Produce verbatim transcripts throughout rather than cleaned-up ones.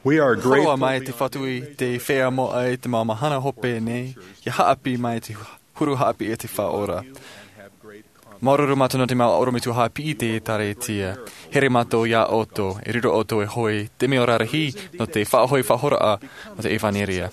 Hōroʻa mai te Fatu i te feiā moʻa i te mau mahana hope nei, ia haʻapiʻi mai te huru haʻapiʻi a te Faʻaora. Māuruuru mātou nō te mau ʻorometua haʻapiʻi i te ʻĒkālesia. Here mātou iā ʻoutou, e riro ʻoutou ei hoʻi, te mea rarahi, nō te faʻahoʻi faʻahoraʻa, nō te ʻevanelia.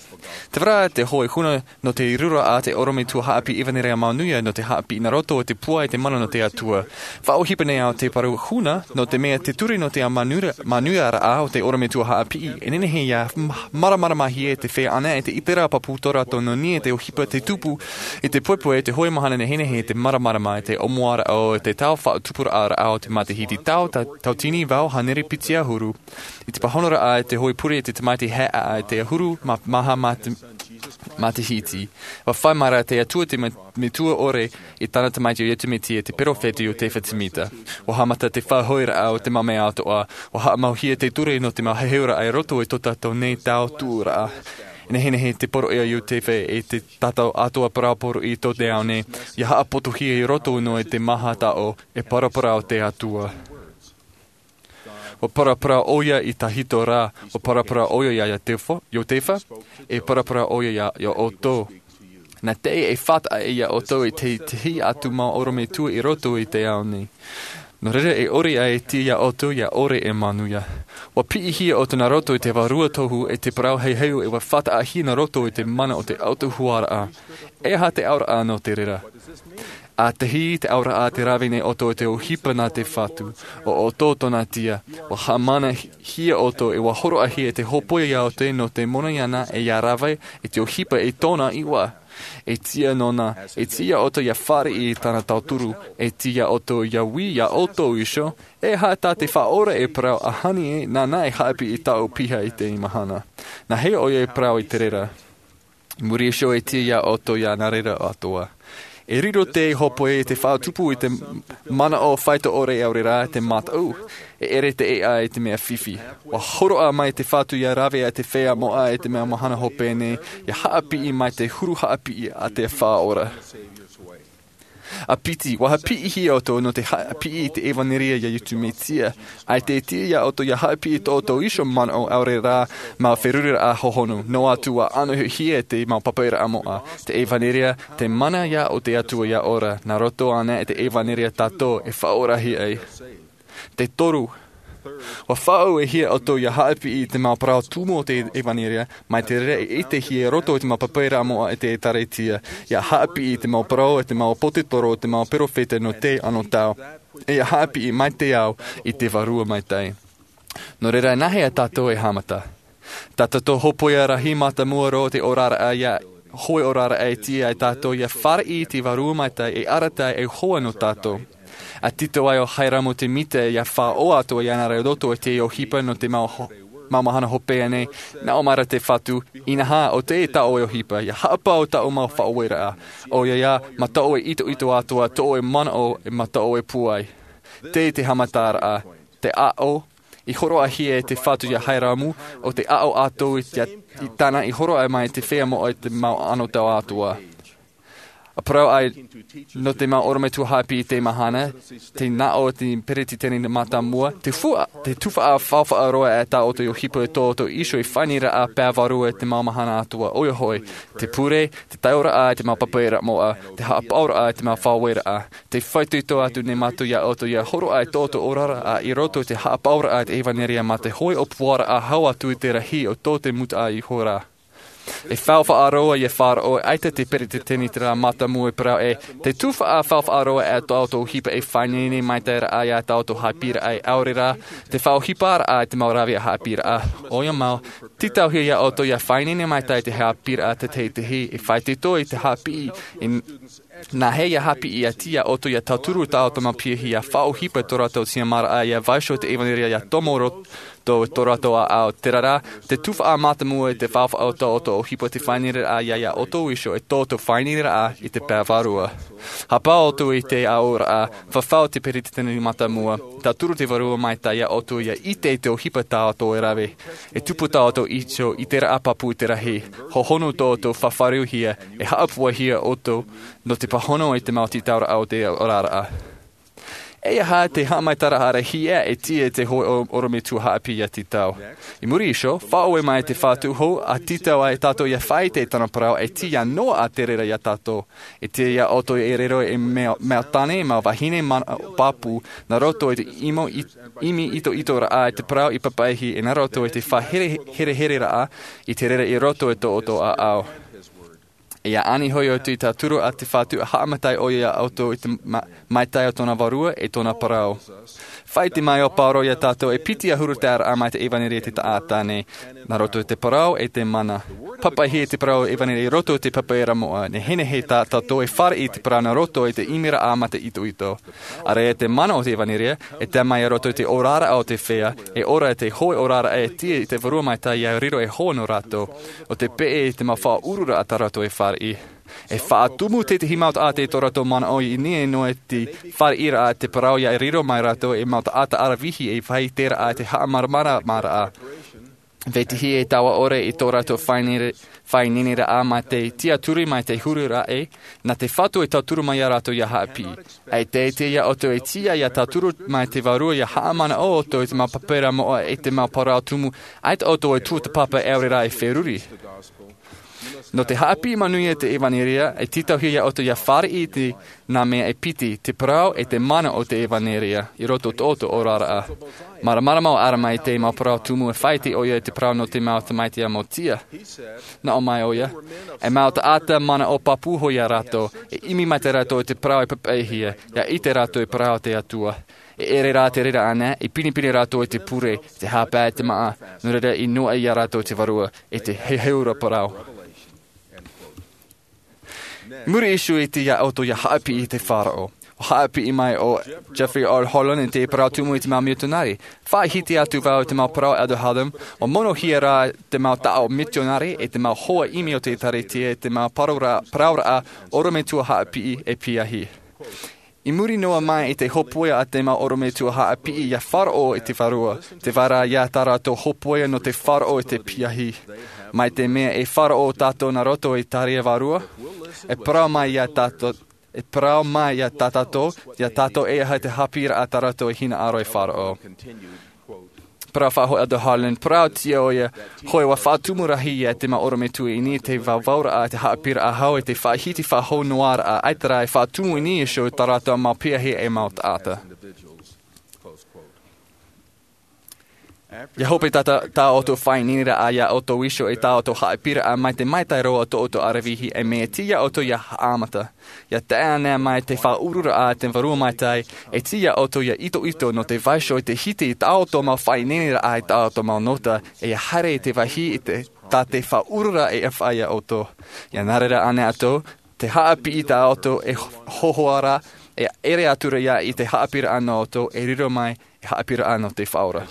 Tē vai ra te hoʻi huna nō te riro a te ʻorometua haʻapiʻi ʻevanelia manuia nō te haʻapiʻi nā roto i te pūai te mana nō te Atua. Faʻaʻohipa nei au te parau huna, nō te mea te ture nō te manuia, manuiaraʻa o te ʻorometua haʻapiʻi, e nehenehe ia m-, māramarama hia e te feiā ʻana e te ʻiteraʻa pāpū tō rātou nō niʻa i te ʻohipa te tupu, i te poʻipoʻi e te hoʻi mahana nehenehe te māramarama i te ʻōmuaraʻa o te tau faʻatupuraʻa o te matahiti tau, ta-, tauatini vaʻu hānere piti ʻahuru, i te pāhonoraʻa i te hoʻi pure i te tamaiti haʻeʻa i te ʻahuru ma-, maha mate-, matahiti. ʻUa fai mai ra te Atua te me-, metua ʻore i tāna tamaiti ʻo Iesu Mesia te perofeta ʻo Iosefa Semita. ʻUa haʻamata te faʻahoʻiraʻa o te mau mea atoʻa, ʻua haʻamauhia te ture nō te mau heheuraʻa i roto i tō tātou nei tau tuʻuraʻa. E nehenehe te poroʻi a Iosefa e te tātou atoʻa parau poroʻi i tō te ao nei, ia haʻapotohia i roto noa i te maha taʻo, e paraparau te Atua. ʻUa paraparau ʻoia i Tahito ra, ʻua paraparau ʻoia iā Iosefa, Iosefa, e paraparau ʻoia iā, iā ʻoutou. Nā te, e faʻataʻa iā ʻoutou i te, te tahi atu mau ʻorometua i roto i te ao nei. Nō reira e ʻore ʻaita iā ʻoutou ia ʻore e manuia. ʻUa piʻihia ʻoutou nā roto i te Vārua Tohu e te parau heheuraʻa e ʻua faʻataʻahia nā roto i te mana o te autahuʻaraʻa. E aha te auraʻa nō te reira? ʻA tahi te auraʻa te rave nei ʻoutou i te ʻohipa nā te Fatu, ʻo ʻoutou tōna tia, ʻua haʻamana hi-, hia ʻoutou e ʻua hōroʻahia e te hōpoiʻa iā ʻoutou nō te moni ana e ia rave i te ʻohipa i tōna iʻoa. E tia nōna, e tia ʻoutou ia fāriʻi i tāna tauturu, e tia ʻoutou ia ui iā ʻoutou iho, e aha tā te Faʻaora e parau ʻahani ē, nāna e haʻapiʻi tāʻu piha i teie mahana. Nā hea ʻoia e parau i te reira? Muri iho e tia iā ʻoutou ia nā reira atoʻa. E riro te hōpoiʻa i te faʻatupu i te manaʻo faito ʻore ʻaore rā te mataʻu, e ʻere te ʻēʻa i te mea fifi. ʻUa hōroʻa mai te Fatu ia rave a te feiā moʻa i te mau mahana hope nei, ia haʻapiʻi mai te huru haʻapiʻi a te Faʻaora. ʻA piti, ʻua haʻapiʻihia ʻoutou nō te haʻapiʻi i te ʻevanelia iā Iesu Mesia. ʻAita e tia iā ʻoutou ia haʻapiʻi tō ʻoutou iho manaʻo ʻaore rā mau feruriraʻa hohonu, noa atu ʻua ʻānohia te mau papaʻiraʻa moʻa, te ʻevanelia, te mana ia o te Atua ia ora, nā roto ana i te ʻevanelia tātou e faʻaorahia ai. Te toru, ʻua faʻaʻuehia ʻoutou ia haʻapiʻi i te mau parau tumu o te ʻevanelia, mai te reira e ʻitehia i roto i te mau papaʻiraʻa moʻa i te ʻĒkālesia, ia haʻapiʻi i te mau parau, i te mau pōtetoro, i te mau perofeta nō te anotau, e ia haʻapiʻi mai te ao i te Vārua Maitaʻi. Nō reira, nā hea tātou e haʻamata? Tā tātou hōpoiʻa rahi mātāmua roa o te oraraʻa ia, hoʻi oraraʻa e tia ai tātou ia fāriʻi i te Vārua Maitaʻi e arataʻi e hoa nō tātou. ʻA tītau ai ʻo Hyrum Smith ia faʻaʻohipa atu iāna i roto i te ʻohipa nō te mau ho-, mau mahana hope nei, nā ʻō mai ra te Fatu, inaha, ʻo tē tā ʻoe ʻohipa, ia haʻapaʻo tāʻu mau faʻaueraʻa. ʻOia ā, mā tō ʻoe itoito atoʻa, tō ʻoe manaʻo, e mā tō ʻoe pūai. Tē te haʻamataraʻa, te aʻo, i hōroʻahia e te Fatu ia Hyrum, ʻo te aʻo atoʻa i te, i tāna i hōroʻa mai te feiā moʻa i te mau anotau atoʻa. ʻA parau ai, nō te mau ʻorometua haʻapiʻi i te mahana, te nā ʻō te peretiteni mātāmua, te fua, te tuhaʻa faufaʻa roa e tā ʻoutou ʻohipa i tō ʻoutou iho e faʻaineineraʻa pae vārua i te mau mahana atoʻa, ʻoia hoʻi, te pure, te taiʻoraʻa i te mau papaʻiraʻa moʻa, te haʻapaʻoraʻa i te mau faʻaueraʻa. Tē faʻaitoito atu nei mātou iā ʻoutou ia hōroʻa i tō ʻoutou oraraʻa i roto i te haʻapaʻoraʻa i te ʻevanelia mā te hoʻi ʻōpuaraʻa hau atu i te rahi o tō te mūtaʻa ihora. E faufaʻa roa ia faʻaroʻo, ʻaita te peretiteni terā mātāmua e parau ē, te tuhaʻa faufaʻa roa e tō ʻoutou ʻohipa e faʻaineine maitaʻi ra ia tā ʻoutou haʻapiʻiraʻa ʻaore rā, te faʻaʻohiparaʻa i te mau rāveʻa haʻapiʻiraʻa. ʻOia mau, tītauhia iā ʻoutou ia faʻaineine maitaʻi i te haʻapiʻiraʻa te teitei, e faʻaitoito i te haʻapiʻi, i nā hea ia haʻapiʻi ʻati iā ʻoutou ia tauturu tā ʻoutou mau piahi ia faʻaʻohipa tō rātou tiʻamāraʻa ia vaiiho te ʻevanelia ia tomo roa tō, tō rātou ʻāʻau, terā rā, te tuhaʻa mātāmua i te faufaʻa o tō ʻoutou ʻohipa te faʻaineineraʻa ia, ia ʻoutou iho e tō ʻoutou faʻaineineraʻa i te pae vārua. Haʻapaʻo atu i te aʻoraʻa, fafau te peretiteni mātāmua, tauturu te Vārua Maitaʻi iā ʻoutou ia ʻite i te ʻohipa tā ʻoutou e rave. E tupu tā ʻoutou iho i te ʻiteraʻa pāpū i te rahi, hohonu tō ʻoutou faʻaroʻohia, e haʻapūaihia ʻoutou, nō te pāhono i te mau tītauraʻa o te oraraʻa. E aha te haʻamaitaʻiraʻa hiʻa e tīaʻi te hōʻē ʻorometua haʻapiʻi ia tītau? I muri iho, faʻaue mai te Fatu hou ʻa tītau ai tātou ia faʻaʻite i tāna parau e tīaʻi noa ā te reira ia tātou. E tīaʻi ia ʻoutou e riro ei mau tāne, mau vahine, mau pāpū, nā roto i te ʻimi itoitoraʻa i te parau i papaʻihia, e nā roto i te faʻaherehereraʻa i te reira i roto i tō ʻoutou ʻāʻau. E ia ani hoʻi ʻoutou i te tauturu a te Fatu, ʻa haʻamaitaʻi ʻoia ia ʻoutou i te mataʻi o tōna vārua e tōna parau. Faʻaʻite mai ʻo Pauro ia tātou e piti ʻahuru taʻata mai te ʻevanelia i te taʻata nei, nā roto i te parau e te mana. Papaʻihia te parau ʻevanelia i roto i te pepa ʻīrava moʻa, nehenehe tā tātou e fāriʻi i te parau nā roto i te ʻimiraʻa mā te itoito. ʻAreʻa te mana o te ʻevanelia, e tae mai i roto i te oraraʻa o te feiā, e ora i te hōʻē oraraʻa e tīaʻi i te Vārua Maitaʻi ia riro ei hoa nō rātou. ʻO te peʻe i te mau faʻaururaʻa tā rātou e fāriʻi. E faʻatumu tētahi mau taʻata i tō rātou manaʻo i niʻa noa i te fāriʻiraʻa i te parau ia riro mai rātou ei mau taʻata ʻaravihi e faʻaʻiteraʻa i te haʻamāramaramaraʻa. Vetahi e taua ʻore i tō rātou faʻaineineraʻa mā te tiaturi mai te huru raʻi, nā te Fatu e tauturu mai ia rātou ia haʻapiʻi. ʻAita e tīaʻi ia ʻoutou e tīaʻi ia tauturu mai te Vārua ia haʻamanaʻo ʻoutou i te mau pepa ʻīrava moʻa e te mau parau tumu, ʻaita ʻoutou e tuatāpapa e ʻaore rā e feruri. Nō te haʻapiʻi manuia te ʻevanelia, e tītauhia ia ʻoutou ia fāriʻi i te nā mea e piti, te parau e te mana o te ʻevanelia, i roto i tō ʻoutou oraraʻa. Māramarama ʻo ʻArama i te mau parau tumu e faʻaʻite ʻoia i te parau nō te mau tamaiti ʻāmiotia. Naʻo mai ʻoia, e mau taʻata manaʻo pāpū hoʻi ia rātou, e ʻimi mai rātou i te parau e papaʻihia, ia ʻite rātou i te parau o te Atua. E ʻere rā te reira ānei, e pinepine rātou i te pure, te hāpaʻo, te māʻa, nō reira i noaʻa ia rātou te Vārua, e te heheuraʻa parau. Muri iho e tīaʻi ia ʻoutou ia haʻapiʻi i te faʻaroʻo. ʻUa haʻapiʻi mai ʻo Jeffrey R. Holland i te parau tumu i te mau mitionare. Faʻahiti atu vau i te mau parau a Elder Holland, ʻua monohia rā te mau taʻo mitionare e te mau hoa ʻimi o te ʻĒtārētia e te mau parauraʻa, parauraʻa ʻorometua haʻapiʻi e piahi. I muri noa mai i te hōpoiʻa a te mau ʻorometua haʻapiʻi ia faʻaroʻo i te Vārua, tē vai ra ia tā rātou hōpoiʻa nō te faʻaroʻo i te piahi. Mai te mea e faʻaroʻo tātou nā roto i te tariʻa vārua, e parau mai ia tātou, e parau mai ia tā tātou, ia tātou e aha te haʻapiʻiraʻa tā rātou e hinaʻaro e faʻaroʻo. Parau faʻahou Elder Holland, parau atu ʻoia, hoʻi ʻua faʻatumu rahi ia te mau ʻorometua i niʻa i te vauvau raʻa, te haʻapiʻiraʻa hau e te faʻahiti faʻahou noa raʻa, ʻaita rā e faʻatumu i niʻa iho i tā rātou mau piahi e mau taʻata. ʻIa hope tā, tā, tā ʻoutou faʻaineineraʻa ia ʻoutou iho e tā ʻoutou haʻapiʻiraʻa mai te maitaʻi roa o tō ʻoutou ʻaravihi, e mea tīaʻi ia ʻoutou ia haʻamata. ʻIa tae ānei mai te faʻaururaʻa a te Vārua Maitaʻi, e tīaʻi ia ʻoutou ia itoito nō te vaiiho i te hiti i tā ʻoutou mau faʻaineineraʻa, i tā ʻoutou mau nota, e ʻia haere i te vāhi i te, tā te faʻaururaʻa e faʻaea ia ʻoutou. ʻIa nā reira ānei atoʻa, te haʻapiʻi tā ʻoutou e hōhoʻa ra, e ʻere atu ra ia i te haʻapiʻiraʻa nō ʻoutou, e riro mai ei haʻapiʻiraʻa nō te Faʻaora.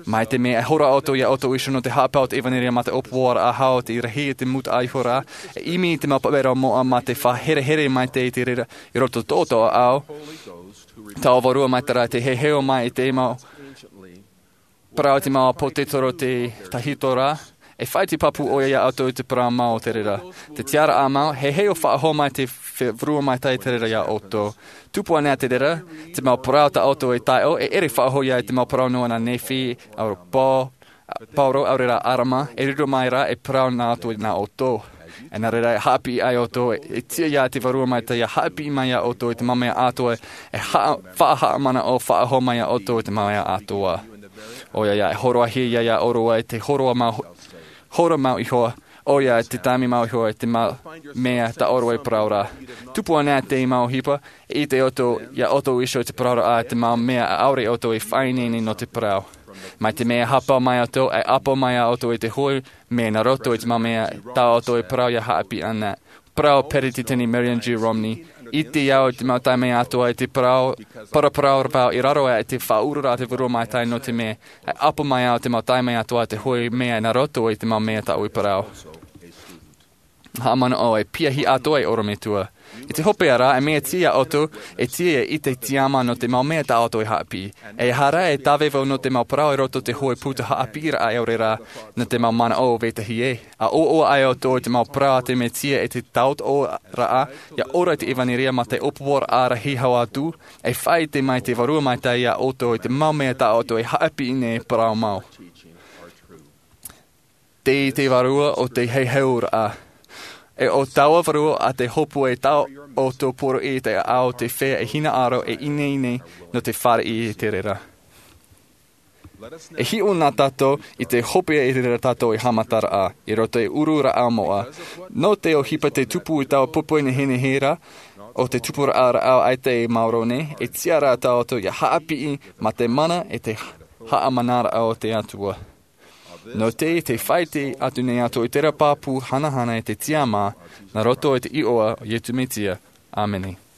Mai te mea e horo ʻoutou ia ʻoutou iho nō te haʻapaʻo o te ʻevanelia mā te ʻōpuaraʻa hau, te rahi i te mūtaʻa iho ra, e ʻimi i te mau pepa ʻīrava moʻa mā te faʻaherehere maitaʻi i te reira i roto i tō ʻoutou ʻāʻau, taua Vārua Maitaʻi ra, te heheu mai i te mau parau i te mau ʻāpōsetolo, te tahito ra, e faʻaʻite pāpū ʻoia ia ʻoutou i te parau mau o te reira. Te tiʻaraʻa mau, heheu faʻahou mai te Vārua Maitaʻi i te reira ia ʻoutou. Tupu ānei te reira, te mau parau tā ʻoutou e tae ʻō, e ʻere faʻahou ia i te mau parau noa nā Nephi, ʻo Paul, Pauro, ʻaore rā ʻĀrama, e riro mai ra ei parau nā ʻoutou, nā ʻoutou. E nā reira e haʻapiʻi ai ʻoutou, e tīaʻi ia te Vārua Maitaʻi ia haʻapiʻi mai ia ʻoutou i te mau mea atoʻa, e haʻa-, faʻahaʻamanaʻo faʻahou mai ia ʻoutou i te mau mea atoʻa. ʻOia ia, e hōroʻahia ia ʻōrua i te hōroʻa mau, hōroʻa mau iho, ʻoia te taime mau iho, i te mau mea tā ʻōrua e parau ra. Tupu ānei te mau ʻohipa, e ʻite ʻoutou, ia ʻoutou iho i te parau ra, ʻa te mau mea ʻaore ʻoutou e faʻaineine nō te parau. Mai te mea e haʻapaʻo mai ʻoutou, e ʻapo mai ʻoutou i te hōʻē mea nā roto i te mau mea tā ʻoutou e parau ia haʻapiʻi ānei. Parau Peretiteni Marion G. Romney, ʻite au i te mau taime atoʻa i te parau, paraparau vau i raro aʻe i te faʻaururaʻa a te Vārua Maitaʻi nō te mea, e ʻapo mai au i te mau taime atoʻa i te hōʻē mea nā roto i te mau mea tāʻu e parau. Haʻamanaʻo e piahi atoʻa ei ʻorometua. I te hopeʻa ra, e mea tiʻa ia ʻoutou e tiʻa i te tiama nō te mau mea tā ʻoutou e haʻapiʻi. E aha rā e tāvevo nō te mau parau i roto i te hōʻē puta haʻapiʻiraʻa e ʻore rā, nō te mau manaʻo o vetahi ē. ʻA ʻoaʻoa ai ʻoutou i te mau parau a te Mesia e te tautooraʻa, ia ora i te ʻevanelia mā te ʻōpuaraʻa rahi hau atu, e faʻaʻite mai te Vārua Maitaʻi ia ʻoutou i te mau mea tā ʻoutou e haʻapiʻi nei e parau mau. Tei te Vārua o te heheuraʻa. E ʻo taua Vārua a te hōpue tā ʻoutou poroʻi i te ʻāʻau te fea e hinaʻaro e ineine nō te fāriʻi i te reira. E hiʻo na tātou i te hopeʻa i reira tātou e haʻamataraʻa, i roto i te ururaʻa moʻa. Nō te ʻohipa te tupu i taua pupu nehenehe ra, ʻo te tupuraʻa rāʻau ʻaita e maoro nei, e tiʻa rā tātou ia haʻapiʻi mā te mana e te haʻamanaraʻa o te Atua. Nō te, te faʻaʻite atu nei atu i terā pāpū hanahana e te tiama, nā roto i te iʻoa o Iesu Mesia. ʻĀmene.